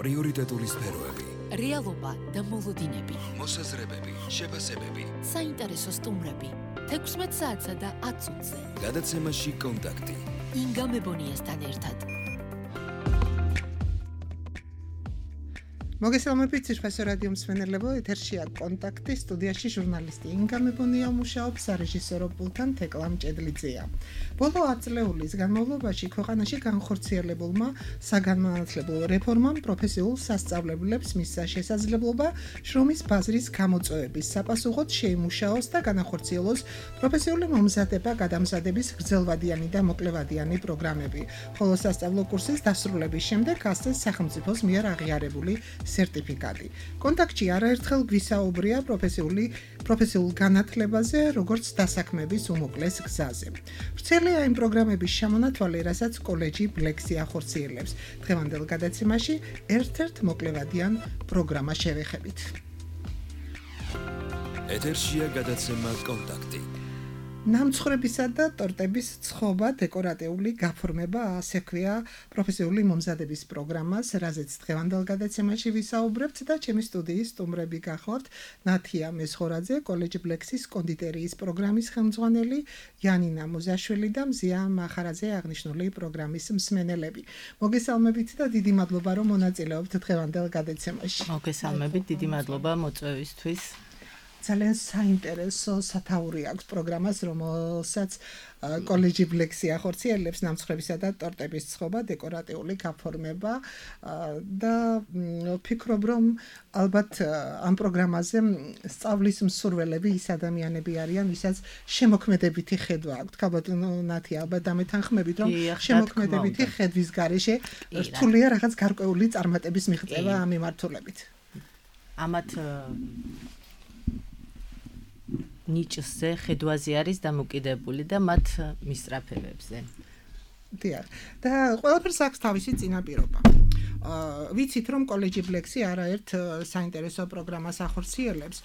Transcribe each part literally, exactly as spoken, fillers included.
პრიორიტეტული სფეროები, რეალობა და მოლოდინები, მოსაზრებები, შეფასებები, საინტერესო სტუმრები, თექვსმეტ საათსა და ათ წუთზე. გადაცემაში კონტაქტი. ინგა მებონიასთან ერთად. მოგესალმებით ცირფასო რადიო მსმენელებო, ეთერშია კონტაქტი, სტუდიაში ჟურნალისტი ინგა მებონია მუშაობს, სარეჟისორო პულტთან თეკლა მჭედლიძეა. ბოლო ათ წლეულის განმავლობაში ქვეყანაში განხორციელებულმა საგანმანათლებლო რეფორმამ პროფესიულ სასწავლებლებს მისცა შესაძლებლობა შრომის ბაზრის გამოწვევების საპასუხოდ შეიმუშაოს და განახორციელოს პროფესიული მომზადება გადამზადების გრძელვადიანი და მოკლევადიანი პროგრამები, ხოლო სასწავლო კურსის დასრულების შემდეგ ასწეს სახელმწიფოს მიერ აღიარებული სერტიფიკატი. კონტაქტში არაერთხელ გვისაუბრია პროფესიული პროფესიულ განათლებაზე, როგორც დასაქმების უმოკლეს გზაზე. ვრცელია იმ პროგრამების შემონათვალი, რასაც კოლეჯი ბლექსი ახორციელებს. დღევანდელ გადაცემაში ერთ-ერთ მოკლევადიან პროგრამას შევეხებით. ეთერშია გადაცემა კონტაქტი. ნამცხრებისა და ტორტების ცხობა, დეკორატიული გაფორმება, ასე ქვია პროფესიული მომზადების პროგრამას, რაზეც დღევანდელ გადაცემაში ვისაუბრებთ და ჩემი სტუდიის სტუმრები გახლავთ ნათია მესხორაძე, კოლეჯ ბლექსის კონდიტერიის პროგრამის ხელმძღვანელი, იანინა მოზაშვილი და მზია მახარაძე აღნიშნული პროგრამის მსმენელები. მოგესალმებით და დიდი მადლობა რომ მონაწილეობთ დღევანდელ გადაცემაში. მოგესალმებით, დიდი მადლობა მოწვევისთვის. ძალიან საინტერესო სათაური აქვს პროგრამას, რომელსაც კოლეჯი ბლექსი ახორციელებს, ნამცხრებისა და ტორტების ცხობა, დეკორატიული გაფორმება და ვფიქრობ, რომ ალბათ ამ პროგრამაზე სწავლის მსურველები ის ადამიანები არიან, ვისაც შემოქმედებითი ხედვა აქვთ. ქალბატონო ნათია, ალბათ დამეთანხმებით, რომ შემოქმედებითი ხედვის გარეშე რთულია რაღაც გარკვეული წარმატების მიღწევა ამ მიმართულებით. ამათ ნიჭზე ხედვაზე არის დამოკიდებული და მათ მისწრაფებებზე. დიახ. და ყველაფერს აქვს თავისი წინაპირობა. აა ვიცით რომ კოლეჯი ბლექსი არაერთ საინტერესო პროგრამას ახორციელებს,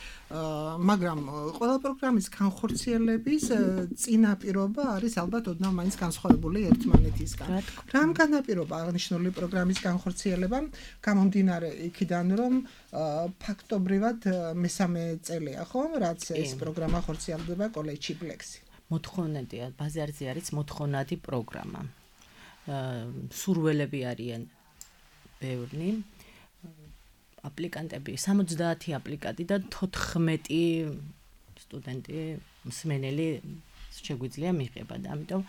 მაგრამ ყველა პროგრამის განხორციელების წინაპირობა არის ალბათ ოდნავ მაინც განსხვავებული ერთმანეთისგან. რამ განაპირობა აღნიშნული პროგრამის განხორციელებამ, გამომდინარე იქიდან რომ ფაქტობრივად მესამე წელია ხომ, რაც ეს პროგრამა ხორციელდება კოლეჯში ბლექსი. მოთხოვნადია, ბაზარზე არის მოთხოვნადი პროგრამა. სურველები არიან ბევრი. აპლიკანტები სამოცდაათი აპლიკანტი და თოთხმეტი სტუდენტი მსმენელი შეგვიძლია მიღება და ამიტომ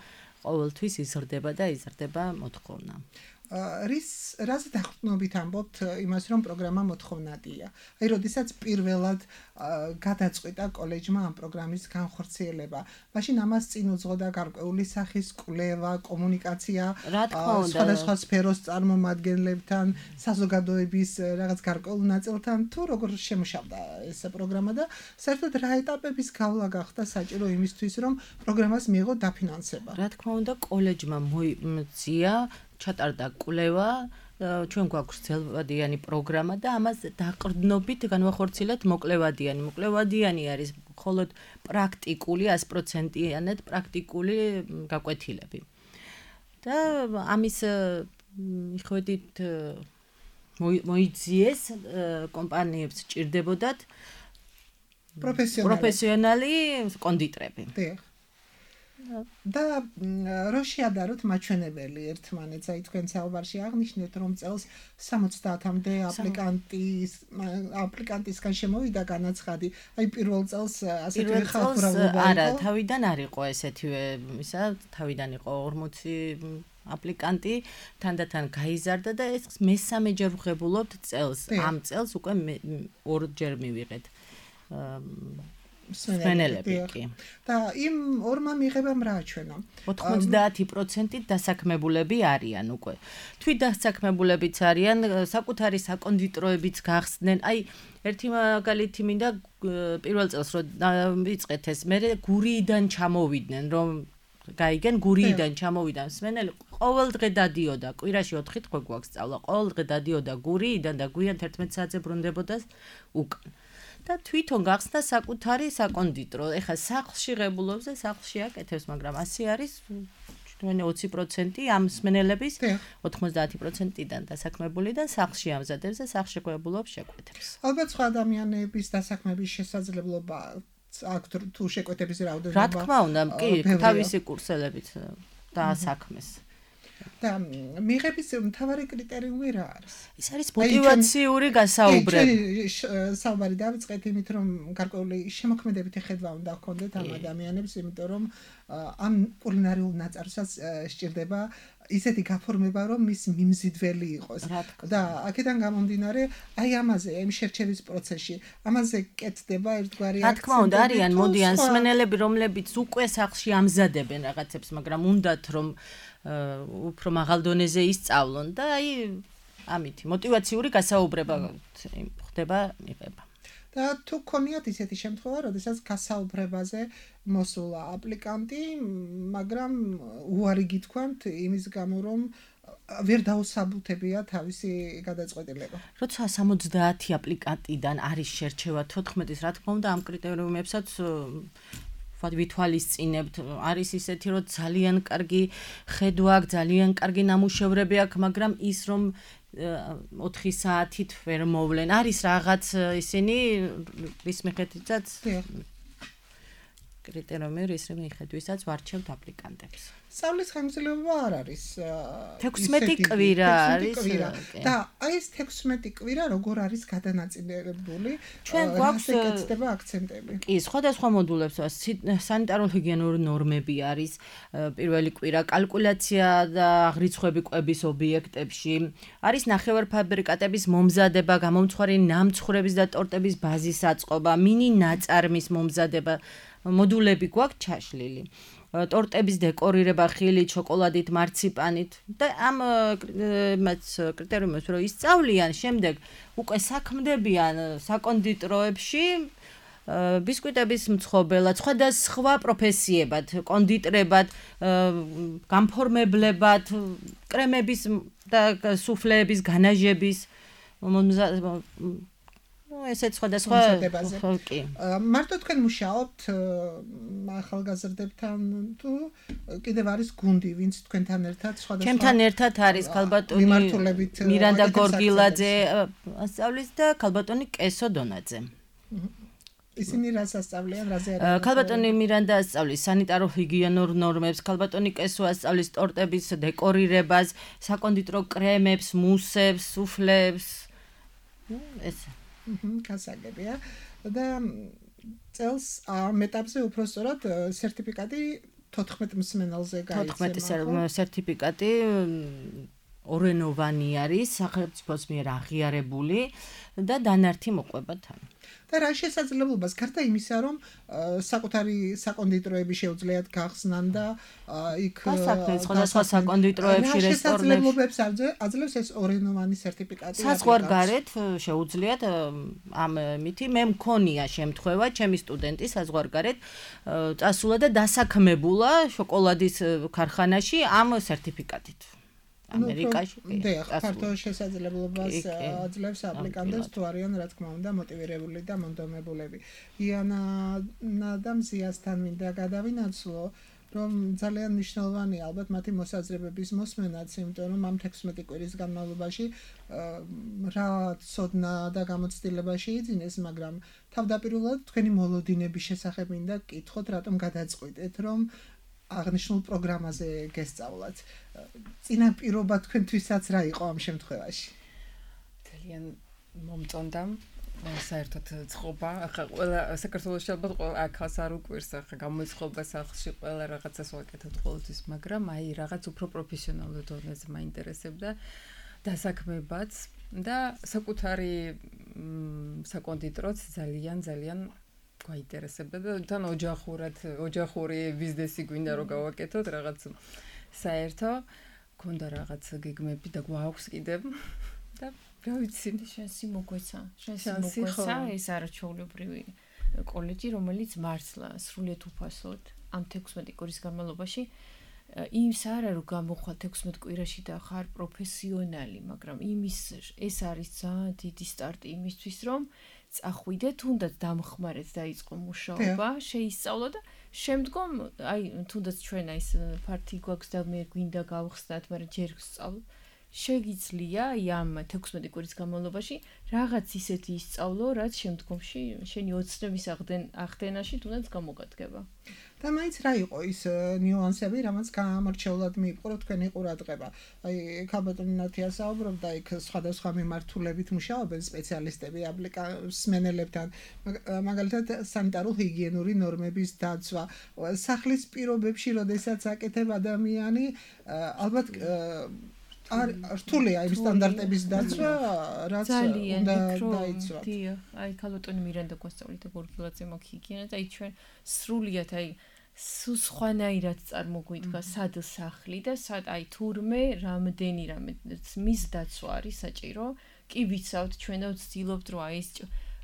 ყოველთვის იზრდება და იზრდება მოთხოვნა. რის რაზე დაყრდნობით ამბობთ იმას, რომ პროგრამა მოთხოვნადია. აი, როდესაც პირველად გადაწყვიტა კოლეჯმა ამ პროგრამის განხორციელება, მაშინ ამას წინ უძღოდა გარკვეული სახის კვლევა, კომუნიკაცია, სხვადასხვა სფეროს წარმომადგენლებთან, საზოგადოების რაღაც გარკვეულ ნაწილთან, თუ როგორ შემუშავდა ეს პროგრამა და საერთოდ რა ეტაპების გავლა გახდა საჭირო იმისთვის, რომ პროგრამას მიიღო დაფინანსება. რა თქმა უნდა, კოლეჯმა მოიწია ჩატარდა კვლევა, ჩვენ გვაქვს გრძელვადიანი პროგრამა და ამას დაყრდნობით განვახორციელეთ მოკლევადიანი. მოკლევადიანი არის მხოლოდ პრაქტიკული, ას პროცენტიანად პრაქტიკული გაკვეთილები. და ამის მიხედვით მოიძიეს კომპანიებს ჭირდებოდათ პროფესიონალი კონდიტრები. და რო შეადაროთ მაჩვენებელი ერთმანეთს, აი თქვენ საუბარში აღნიშნეთ, რომ წელს სამოცდაათამდე აპლიკანტის აპლიკანტისგან შემოვიდა განაცხადი. აი პირველ წელს ასეთი ხალხურაობა იყო. არა, თავიდან არ იყო ესეთივე, ისა თავიდან იყო ორმოცი აპლიკანტი, თანდათან გაიზარდა და ეს მესამეჯერ ვღებულობთ წელს. ამ წელს უკვე ორჯერ მივიღეთ. მსმენელები კი. და იმ ორმა მიღებამ რა აჩვენა? ოთხმოცდაათი პროცენტი დასაქმებულები არიან უკვე. თვით დასაქმებულებიც არიან, საკუთარი საკონდიტროებიც გახსდნენ. აი, ერთი მაგალითი მინდა პირველ წელს რომ ვიწყეთ ეს, მე გურიიდან ჩამოვიდნენ, რომ გაიგენ გურიიდან ჩამოვიდა მსმენელი, ყოველ დღე დადიოდა, კვირაში ოთხი დღე გვაქვს სწავლა, ყოველ დღე დადიოდა გურიიდან და გვიან თერთმეტ საათზე ბრუნდებოდა უკან. და თვითონ გახსნა საკუთარი საკონდიტრო. ეხლა სახლში ღებულობს და სახლში აკეთებს, მაგრამ ასე არის თქვენი ოცი პროცენტი ამ მსმენელების ოთხმოცდაათი პროცენტიდან დასაქმებული და სახლში ამზადებს და სახლშეკვებულობს შეკვეთებს. ალბათ სხვა ადამიანების დასაქმების შესაძლებლობა აქ თუ შეკვეთების რაოდენობა რა თქმა უნდა, კი, თავისი კურსელებით დაასაქმეს. და მიღების მთავარი კრიტერიუმი რა არის? ის არის მოტივაციური გასაუბრება. საუბარი დავიწყეთ იმით, რომ გარკვეული შემოქმედებითი ხედვა უნდა ჰქონდეთ ამ ადამიანებს, იმიტომ რომ ამ კულინარიულ ნაწარმოებსაც სჭირდება ისეთი გაფორმება, რომ მის მიმზიდველი იყოს. და აქედან გამომდინარე, აი ამაზე, იმ შერჩევის პროცესში, ამაზე კეთდება ერთგვარი აქცენტი. რა თქმა უნდა, არიან მოდიან მსმენელები, რომლებიც უკვე სახლში ამზადებენ რაღაცებს, მაგრამ უნდათ რომ უფრო მაღალ დონეზე ისწავლონ და აი ამითი მოტივაციური გასაუბრება ხდება მიღება. და თუ გქონიათ ისეთი შემთხვევა, როდესაც გასაუბრებაზე მოსულა აპლიკანტი, მაგრამ უარი გითქვამთ იმის გამო, რომ ვერ დაუსაბუთებია თავისი გადაწყვეტილება. როცა სამოცდაათი აპლიკანტიდან არის შერჩევა თოთხმეტის, რა თქმა უნდა, ამ კრიტერიუმებსაც ვითვალისწინებთ. არის ისეთი, რომ ძალიან კარგი ხედვა აქვს, ძალიან კარგი ნამუშევრები აქვს, მაგრამ ის რომ ოთხი საათით ვერ მოვლენ. არის რაღაც ისინი რის მიხედვითაც კრიტერიუმი რის მიხედვითაც ვარჩევთ აპლიკანტებს. სწავლის ხანგრძლივობა არ არის თექვსმეტი კვირა არის და აი ეს თექვსმეტი კვირა როგორ არის გადანაწილებული? ჩვენ გვაქვს ეკეთება აქცენტები. კი, სხვადასხვა მოდულებს სანიტარო-ჰიგიენური ნორმები არის პირველი კვირა, კალკულაცია და აღრიცხვები კვების ობიექტებში, არის ნახევარფაბრიკატების მომზადება, გამომცხვარი ნამცხრების და ტორტების ბაზის აწყობა, მინი ნაწარმის მომზადება, მოდულები გვაქვს ჩაშლილი. ტორტების დეკორირება ხილით, შოკოლადით, მარციპანით და ამ კრიტერიუმებს რო ისწავლიან, შემდეგ უკვე საქმდებიან საკონდიტროებში ბისკვიტების მცხოველად, სხვადასხვა პროფესიებად, კონდიტრებად, გამფორმებლებად, კრემების და სუფლეების, განაჟების ესეც სხვადასხვა კი. მარტო თქვენ მუშაობთ ახალგაზრდებთან თუ კიდევ არის გუნდი, ვინც თქვენთან ერთად სხვადასხვა ჩემთან ერთად არის ქალბატონი მირანდა გორგილაძე ასწავლის და ქალბატონი კესო დონაძე. ისინი რას ასწავლიან, რაზე არის? ქალბატონი მირანდა ასწავლის სანიტარო-ჰიგიენურ ნორმებს, ქალბატონი კესო ასწავლის ტორტების დეკორირებას, საკონდიტრო კრემებს, მუსებს, სუფლებს. ეს გასაგებია და წელს ამ ეტაპზე უფრო სწორად სერტიფიკატი თოთხმეტ მსმენელზე გაიცემა. თოთხმეტი სერტიფიკატი ორენოვანი არის, სახელმწიფოს მიერ აღიარებული და დანართი მოყვება თან. და რა შესაძლებლობას გარდა იმისა, რომ საკუთარი საკონდიტროები შეუძლიათ გახსნან და იქ სხვადასხვა საკონდიტროებში, რესტორნებში აძლევს ეს ორენოვანი სერტიფიკატი. საზღვარგარეთ შეუძლიათ ამ მითი მე მქონია შემთხვევა, ჩემი სტუდენტი საზღვარგარეთ წასულა და დასაქმებულა შოკოლადის ქარხანაში ამ სერტიფიკატით. ამერიკაში კი. და ფართო შესაძლებლობას აძლევს აპლიკანტებს თუ არიან რა თქმა უნდა მოტივირებული და მონდომებულები. იანა და მზიასთან მინდა გადავინაცვლო, რომ ძალიან მნიშვნელოვანი ალბათ მათი მოსაზრებების მოსმენაც, იმიტომ რომ ამ თექვსმეტი კვირის განმავლობაში რა ცოდნა და გამოცდილება შეიძინეს, მაგრამ თავდაპირველად თქვენი მოლოდინების შესახებ მინდა გკითხოთ, რატომ გადაწყვიტეთ, რომ აღნიშნულ პროგრამაზე გესწავლათ. წინაპირობა თქვენთვისაც რა იყო ამ შემთხვევაში? ძალიან მომწონდა საერთოდ წყობა, ახლა ყველა საქართველოში ალბათ ყველა აქაც არ უკვირს, ახლა გამოიწყობა სახლში ყველა რაღაცას ვაკეთებთ ყოველთვის, მაგრამ აი რაღაც უფრო პროფესიონალურ დონეზე მაინტერესებდა დასაქმებაც და საკუთარი საკონდიტროც ძალიან ძალიან გაინტერესებდა და თან ოჯახურად, ოჯახური ბიზნესი გვინდა რომ გავაკეთოთ რაღაც საერთო, გქონდა რაღაც გეგმები და გვაქვს კიდევ და რა ვიცი, შენსი მოგვეცა, შენსი მოგვეცა ეს არაჩვეულებრივი კოლეჯი, რომელიც მართლა სრულიად უფასოდ ამ თექვსმეტი კვირის განმავლობაში იმის არა რომ გამოხვალ თექვსმეტ კვირაში და ხარ პროფესიონალი, მაგრამ იმის ეს არის ძალიან დიდი სტარტი იმისთვის, რომ წახვიდე, თუნდაც დამხმარეთ დაიწყო მუშაობა, შეისწავლო და შემდგომ აი თუნდაც ჩვენ აი ფართი გვაქვს და მე გვინდა გავხსნათ, მაგრამ ჯერ ვსწავლო. შეგიძლია აი ამ თექვსმეტი კვირის განმავლობაში რაღაც ისეთი ისწავლო, რაც შემდგომში შენი ოცნების აღდენაში თუნდაც გამოგადგება. და მაინც რა იყო ის ნიუანსები, რამაც გამორჩეულად მიიპყრო თქვენი ყურადღება. აი ქალბატონი ნათია საუბრობდა, იქ სხვადასხვა მიმართულებით მუშაობენ სპეციალისტები აპლიკანტებთან, მაგალითად სანიტარო-ჰიგიენური ნორმების დაცვა, სახლის პირობებში, როდესაც აკეთებ ადამიანი, ალბათ არ რთულია იმ სტანდარტების დაცვა, რაც უნდა დაიცვა. დიახ, აი ქალბატონი მირენდა გვასწავლიდა გორგილაძე მოქიგიანა და აი ჩვენ სრულიად აი სხვანაირად წარმოგვიდგა სად სახლი და სად აი თურმე რამდენი რამე მის დაცვა არის საჭირო. კი ვიცავთ ჩვენო ვცდილობთ რომ აი ეს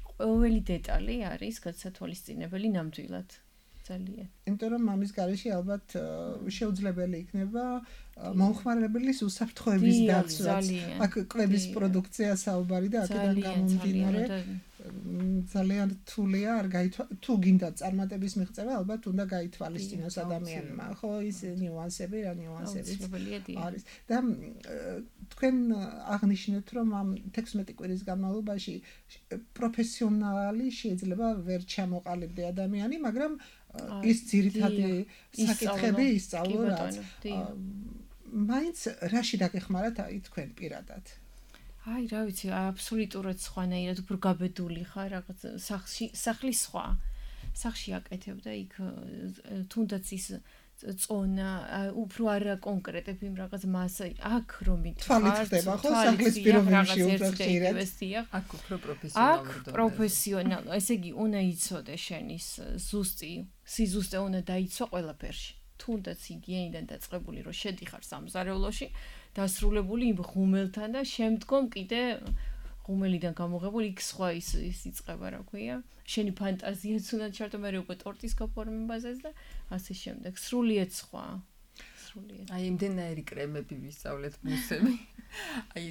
ყოველი დეტალი არის გასათვალისწინებელი ნამდვილად. ძალიან. იმიტომ რომ მამის გარეშე ალბათ შეუძლებელი იქნება მომხმარებლის უსაფრთხოების დაცვაც. აქ კვების პროდუქცია საუბარი და აქედან გამომდინარე ძალიან რთულია, არ გაითვალ თუ გინდა წარმატების მიღწევა, ალბათ უნდა გაითვალისწინოს ადამიანმა, ხო, ის ნიუანსები, რა ნიუანსები არის. და თქვენ აღნიშნეთ, რომ ამ თექვსმეტი კვირის განმავლობაში პროფესიონალი შეიძლება ვერ ჩამოყალიბდე ადამიანი, მაგრამ ის ძირითადი საკითხები ისწავლო, რაც მაინც რაში დაგეხმარათ აი თქვენ პირადად? აი, რა ვიცი, აბსოლუტურად სხვანაირად უფრო გაბედული ხარ, რაღაც სახლში, სახლის სხვა. სახლში აკეთებ და იქ თუნდაც ის წონა, უფრო არა კონკრეტებ იმ რაღაც მასა, აქ რომ თვალით ხდება, ხო, სახლის პირობებში უფრო ხშირად. აქ უფრო პროფესიონალურად. აქ პროფესიონალ, ესე იგი, უნდა იცოდე შენის ზუსტი, სიზუსტე უნდა დაიცვა ყველაფერში. თუნდაც ჰიგიენიდან დაწყებული რომ შედიხარ სამზარეულოში, დასრულებული იმ ღუმელთან და შემდგომ კიდე ღუმელიდან გამოღებული იქ სხვა ის ის იწყება, რა ქვია. შენი ფანტაზიაც უნდა ჩართო, მე უკვე ტორტის გაფორმებაზეც და ასე შემდეგ. სრულიად სხვა. სრულიად. აი იმდენაირი კრემები ვისწავლეთ მუსები. აი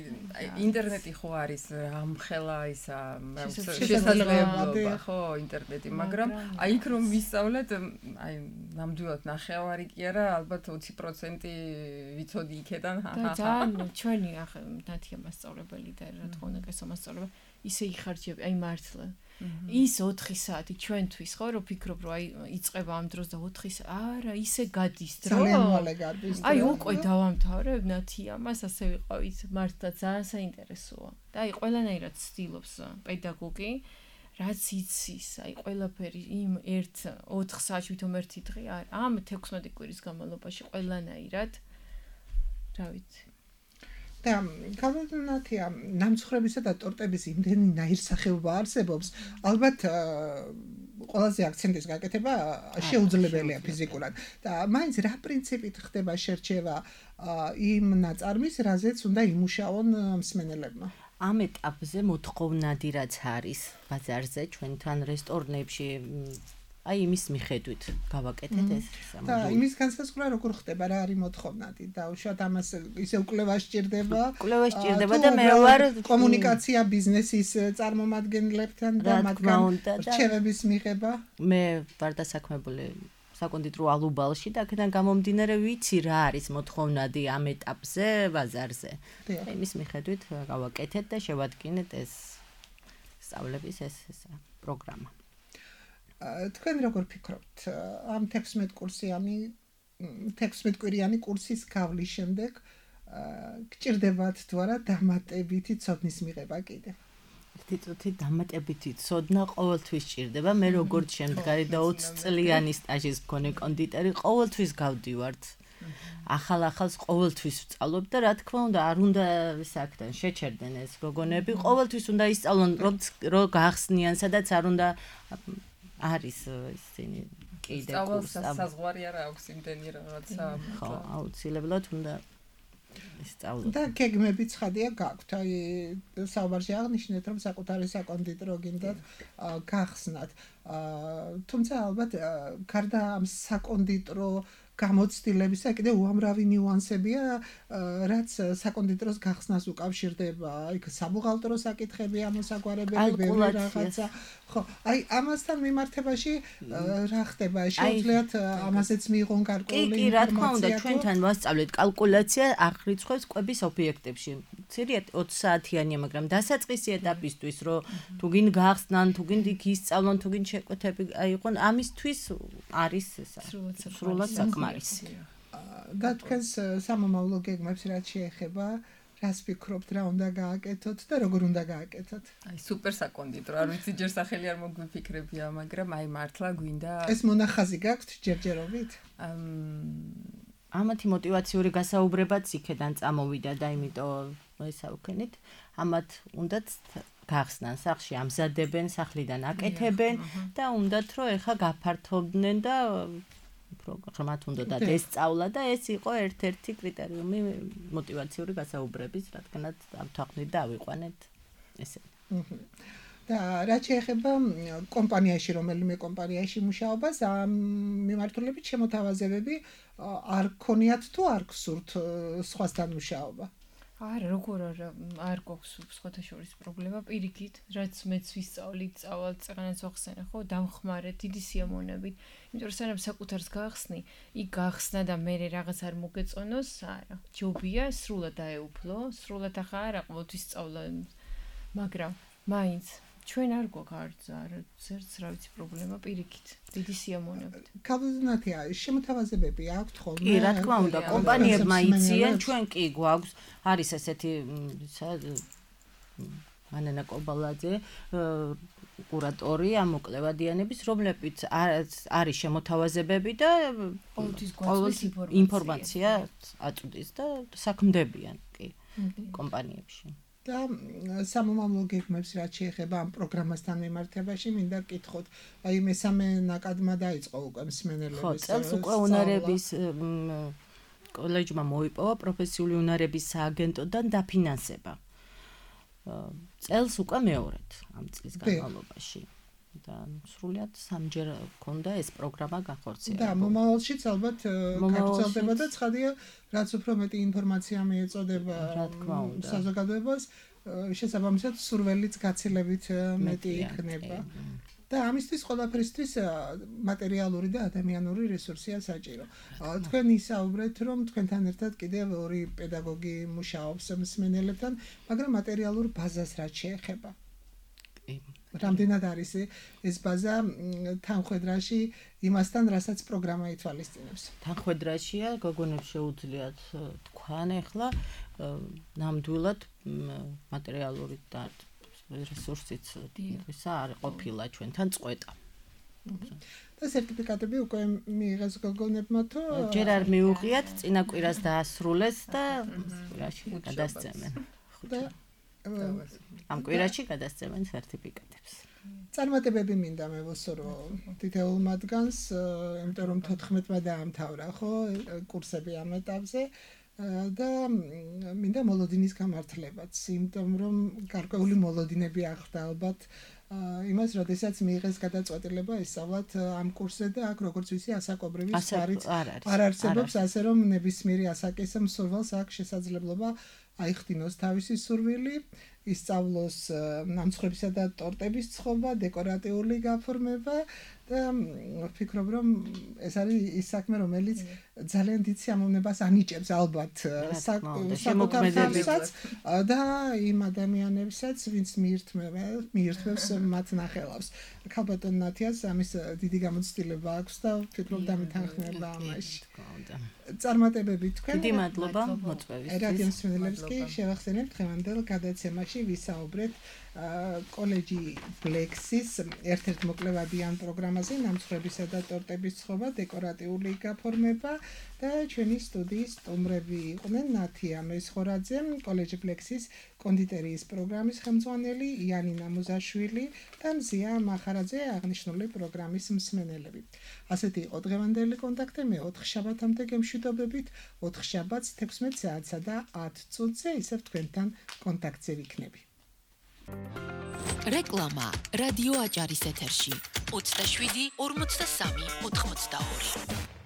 ინტერნეტი ხო არის ამხელა ისა შესაძლებლობა, ხო, ინტერნეტი, მაგრამ აი იქ რომ ვისწავლეთ, აი ნამდვილად ნახევარი კი არა, ალბათ ოცი პროცენტი ვიცოდი იქედან. და ძალიან ჩვენი ახლა ნათია მასწავლებელი და რა თქმა უნდა კესო მასწავლებელი ისე იხარჯები, აი მართლა. ის ოთხი საათი ჩვენთვის ხო რომ ფიქრობ რომ აი იწყება ამ დროს და ოთხი არა ისე გადის დრო ძალიან მალე გადის აი უკვე დავამთავრებ ნათია მას ასე ვიყავით მართლა ძალიან საინტერესოა და აი ყველანაირად ცდილობს პედაგოგი რაც იცის აი ყველაფერი იმ ერთ ოთხ საათში თვითონ ერთი დღე არ ამ თექვსმეტი კვირის განმავლობაში ყველანაირად რა ვიცი და გამოდნათია ნამცხრებისა და ტორტების იმდენი ნაირსახეობა არსებობს ალბათ ყველაზე აქცენტის გაკეთება შეუძლებელია ფიზიკურად და მაინც რა პრინციპით ხდება შერჩევა იმ ნაწარმის რაზეც უნდა იმუშაონ მსმენელებმა ამ ეტაპზე მოთხოვნადი რაც არის ბაზარზე ჩვენთან რესტორნებში აი იმის მიხედვით გავაკეთეთ ეს და იმის განსაზღვრა როგორ ხდება რა არის მოთხოვნადი და უშუალოდ ამას ისე უკვლევა სჭირდება უკვლევა სჭირდება და მე ვარ კომუნიკაცია ბიზნესის წარმომადგენლებთან და მათგან რჩევების მიღება მე ვარ დასაქმებული საკონდიტრო ალუბალში და აქედან გამომდინარე ვიცი რა არის მოთხოვნადი ამ ეტაპზე ბაზარზე იმის მიხედვით გავაკეთეთ და შევადგინეთ ეს სწავლების ეს პროგრამა თქვენ როგორ ფიქრობთ ამ თექვსმეტ კურსიანი თექვსმეტ კვირიანი კურსის გავლის შემდეგ გჭირდებათ თუ არა დამატებითი ცოდნის მიღება კიდე თითოთი დამატებითი ცოდნა ყოველთვის სჭირდება მე როგორც შემდგარი და ოცი წლიანი სტაჟის მქონე კონდიტერი ყოველთვის გავდივართ ახალ-ახალს ყოველთვის ვწავლობ და რა თქმა უნდა არ უნდა საკთან შეჩერდნენ ეს გოგონები ყოველთვის უნდა ისწავლონ რომ გახსნიან სადაც არ უნდა არის ისინი კიდე კურსი საზღვარი არა აქვს იმდენი რაღაცა ხო აუცილებლად უნდა ისწავლოთ და გეგმები ცხადია გაქვთ აი საუბარში აღნიშნეთ რომ საკუთარი საკონდიტრო გინდათ გახსნათ თუმცა ალბათ გარდა ამ საკონდიტრო გამოცდილებისა კიდე უამრავი ნიუანსებია, რაც საკონდიტეროს გახსნას უკავშირდება. იქ საბუღალტერო საკითხები, ამოსაგვარებელი, ბევრი რაღაცა. ხო, აი ამასთან მიმართებაში რა ხდება? შეუძლიათ ამაზეც მიიღონ გარკვეული ინფორმაცია. კი, რა თქმა უნდა, ჩვენთან ვასწავლეთ კალკულაცია აღრიცხვებს კვების ობიექტებში. ცირიათ ოცი საათიანია, მაგრამ დასაწყისი ეტაპისთვის, რომ თუ გინ გახსნან, თუ გინ იქ ისწავლონ, თუ გინ შეკვეთები აიყონ, ამისთვის არის ესა. სრულად საკმარისი. და თქვენს სამომავლო გეგმებს რაც შეეხება, რას ფიქრობთ, რა უნდა გააკეთოთ და როგორ უნდა გააკეთოთ? აი, სუპერ საკონდიტრო, არ ვიცი ჯერ სახელი არ მოგვიფიქრებია, მაგრამ აი მართლა გვინდა ეს მონახაზი გაქვთ ჯერჯერობით? ამათი мотиваციური გასაუბრებაც იქედან წამოვიდა და იმიტომ ესა ვქენით, ამათ უნდათ გახსნან სახლში, ამზადებენ, სახლიდან აკეთებენ და უნდათ რომ ეხა გაფართოვდნენ და პროგრამათ უნდათ ესწავლა და ეს იყო ერთ-ერთი კრიტერიუმი мотиваციური გასაუბრების, რადგანაც ამთაყნით და ავიყვანეთ ესე. და რაც შეეხება კომპანიაში, რომელიმე კომპანიაში მუშაობას, ამ მიმართულებით შემოთავაზებები არ ქონიათ თუ არ გსურთ სხვასთან მუშაობა? არა, როგორ არა, არ გვაქვს სხვათა შორის პრობლემა, პირიქით, რაც მეც ვისწავლით, წავალ წეღანაც ვახსენე, ხო, დამხმარე, დიდი სიამოვნებით. იმიტომ რომ სანამ საკუთარს გაახსნი, იქ გაახსნა და მე რაღაც არ მოგეწონოს, არა. ჯობია სრულად დაეუფლო, სრულად ახლა არა ყოველთვის სწავლა, მაგრამ მაინც ჩვენ არ გვაქვს არ ზერც რა ვიცი პრობლემა პირიქით დიდი სიამოვნებით. კაბინეტია შემოთავაზებები აქვთ ხოლმე? კი, რა თქმა უნდა, კომპანიებმა იციან, ჩვენ კი გვაქვს, არის ესეთი ანანა კობალაძე, კურატორი ამ მოკლევადიანების, რომლებიც არის შემოთავაზებები და ყოველთვის ინფორმაცია აწვდის და საქმდებიან კი კომპანიებში. და სამომავლო გეგმებს რაც შეეხება ამ პროგრამასთან მიმართებაში, მინდა გკითხოთ, აი მესამე ნაკადმა დაიწყო უკვე მსმენელების. ხო, წელს უკვე უნარების კოლეჯმა მოიპოვა პროფესიული უნარების სააგენტოდან დაფინანსება. წელს უკვე მეორედ ამ წლის განმავლობაში. და სრულიად სამჯერ ქონდა ეს პროგრამა განხორციელებული. და მომავალშიც ალბათ გაგრძელდება და ცხადია, რაც უფრო მეტი ინფორმაცია მიეწოდება საზოგადოებას, შესაბამისად სურველიც გაცილებით მეტი იქნება. და ამისთვის ყველაფერისთვის მატერიალური და ადამიანური რესურსია საჭირო. თქვენ ისაუბრეთ, რომ თქვენთან ერთად კიდევ ორი პედაგოგი მუშაობს მსმენელებთან, მაგრამ მატერიალურ ბაზას რაც შეეხება. რამდენად არის ეს ბაზა თანხwebdriverში იმასთან, რასაც პროგრამა ითვალისწინებს? თანხwebdriverშია, გოგონებს შეუძლიათ თქვან ახლა ნამდვილად მატერიალური და რესურსიც ისა არ ყოფილა ჩვენთან წყვეტა. და სერტიფიკატები უკვე მიიღეს გოგონებმა თუ ჯერ არ მიუღიათ, წინა კვირას დაასრულეს და კვირაში გადასცემენ. ამ კვირაში გადასცემენ სერტიფიკატებს. წარმატებები მინდა მე ვუსურო თითოეულ მათგანს, იმიტომ რომ თოთხმეტმა დაამთავრა, ხო, კურსები ამ ეტაპზე და მინდა მოლოდინის გამართლებაც, იმიტომ რომ გარკვეული მოლოდინები ახვდა ალბათ იმას, როდესაც მიიღეს გადაწყვეტილება ესწავლათ ამ კურსზე და აქ როგორც ვიცი, ასაკობრივი სვარიც არ არსებობს, ასე რომ ნებისმიერი ასაკის მსურველს აქვს შესაძლებლობა აიხდინოს თავისი სურვილი, ისწავლოს ნამცხრებისა და ტორტების ცხობა, დეკორატიული გაფორმება და ვფიქრობ, რომ ეს არის ის საქმე, რომელიც ძალიან დიდ სიამოვნებას ანიჭებს ალბათ საკუთარსაც და იმ ადამიანებსაც, ვინც მიირთმევს მათ ნახელავს. ქალბატონ ნათიას ამის დიდი გამოცდილება აქვს და ვფიქრობ დამეთანხმება ამაში. წარმატებები თქვენ. დიდი მადლობა მოწვევისთვის. რადიო მსმენელებს კი შევახსენებთ დღევანდელ გადაცემაში ვისაუბრეთ კოლეჯი ბლექსის ერთ-ერთ მოკლევადიან პროგრამაზე ნამცხრებისა და ტორტების ცხობა, დეკორატიული გაფორმება და ჩვენი სტუდიის სტუმრები იყვნენ ნათია მესხორაძე, კოლეჯი ბლექსის კონდიტერიის პროგრამის ხელმძღვანელი, იანინა მუზაშვილი და მზია მახარაძე აღნიშნული პროგრამის მსმენელები. ასეთი იყო დღევანდელი კონტაქტი, მე ოთხ შაბათამდე გემშვიდობებით, ოთხ შაბათს თექვსმეტ საათსა და ათ წუთზე ისევ თქვენთან კონტაქტზე ვიქნები. რეკლამა რადიო აჭარის ეთერში ოცდაშვიდი ორმოცდასამი ოთხმოცდაორი